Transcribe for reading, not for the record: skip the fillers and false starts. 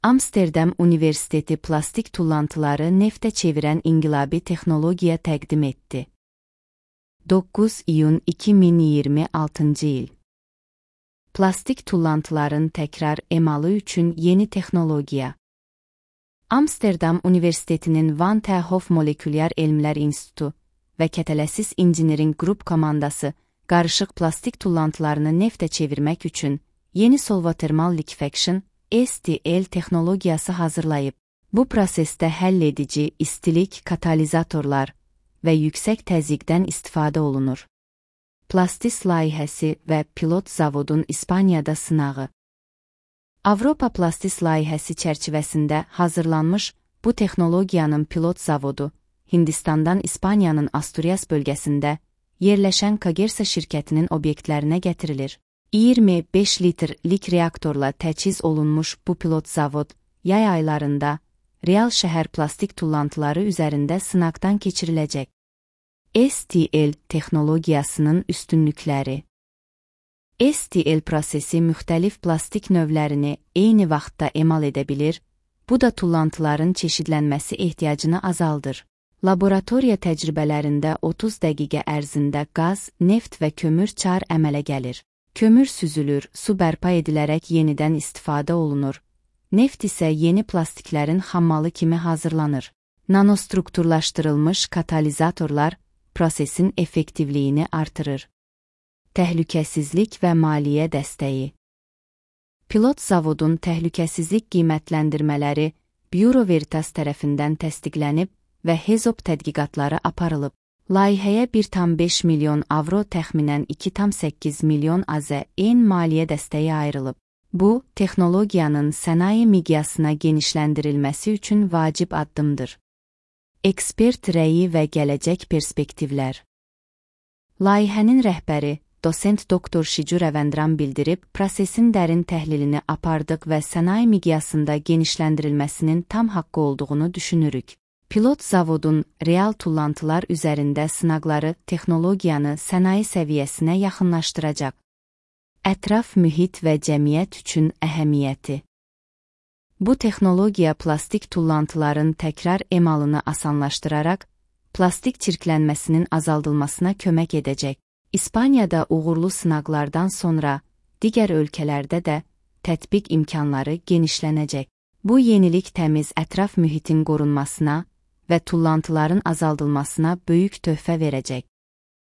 Amsterdam Universiteti plastik tullantıları neftə çevirən inqilabi texnologiya təqdim etdi. 9 iyun 2026 il. Plastik tullantıların təkrar emalı üçün yeni texnologiya. Amsterdam Universitetinin Van ter Hof Molekülyar Elmlər İnstitutu və Kətələsiz İnjiniring Qrup komandası qarışıq plastik tullantılarını neftə çevirmək üçün yeni solvatermal liquefaction (STL) texnologiyası hazırlayıb. Bu prosesdə həlledici, istilik, katalizatorlar və yüksək təzyiqdən istifadə olunur. Plastis layihəsi və pilot zavodun İspaniyada sınağı. Avropa Plastis layihəsi çərçivəsində hazırlanmış bu texnologiyanın pilot zavodu Hindistandan İspaniyanın Asturias bölgəsində yerləşən Kagersa şirkətinin obyektlərinə gətirilir. 25 litrlik reaktorla təchiz olunmuş bu pilot zavod yay aylarında real şəhər plastik tullantıları üzərində sınaqdan keçiriləcək. STL texnologiyasının üstünlükləri. STL prosesi müxtəlif plastik növlərini eyni vaxtda emal edə bilir, bu da tullantıların çeşidlənməsi ehtiyacını azaldır. Laboratoriya təcrübələrində 30 dəqiqə ərzində qaz, neft və kömür çar əmələ gəlir. Kömür süzülür, su bərpa edilərək yenidən istifadə olunur. Neft isə yeni plastiklərin xammalı kimi hazırlanır. Nanostrukturlaşdırılmış katalizatorlar prosesin effektivliyini artırır. Təhlükəsizlik və maliyyə dəstəyi. Pilot zavodun təhlükəsizlik qiymətləndirmələri Bureau Veritas tərəfindən təsdiqlənib və HAZOP tədqiqatları aparılıb. Layihəyə 1,5 milyon avro təxminən 2,8 milyon AZN maliyyə dəstəyi ayrılıb. Bu, texnologiyanın sənaye miqyasına genişləndirilməsi üçün vacib addımdır. Ekspert rəyi və gələcək perspektivlər. Layihənin rəhbəri, dosent doktor Şicu Rəvəndran bildirib, prosesin dərin təhlilini apardıq və sənaye miqyasında genişləndirilməsinin tam haqqı olduğunu düşünürük. Pilot zavodun real tullantılar üzərində sınaqları texnologiyanı sənaye səviyyəsinə yaxınlaşdıracaq. Ətraf mühit və cəmiyyət üçün əhəmiyyəti. Bu texnologiya plastik tullantıların təkrar emalını asanlaşdıraraq, plastik çirklənməsinin azaldılmasına kömək edəcək. İspaniyada uğurlu sınaqlardan sonra digər ölkələrdə də tətbiq imkanları genişlənəcək. Bu yenilik təmiz ətraf mühitin qorunmasına və tullantıların azaldılmasına böyük töhfə verəcək.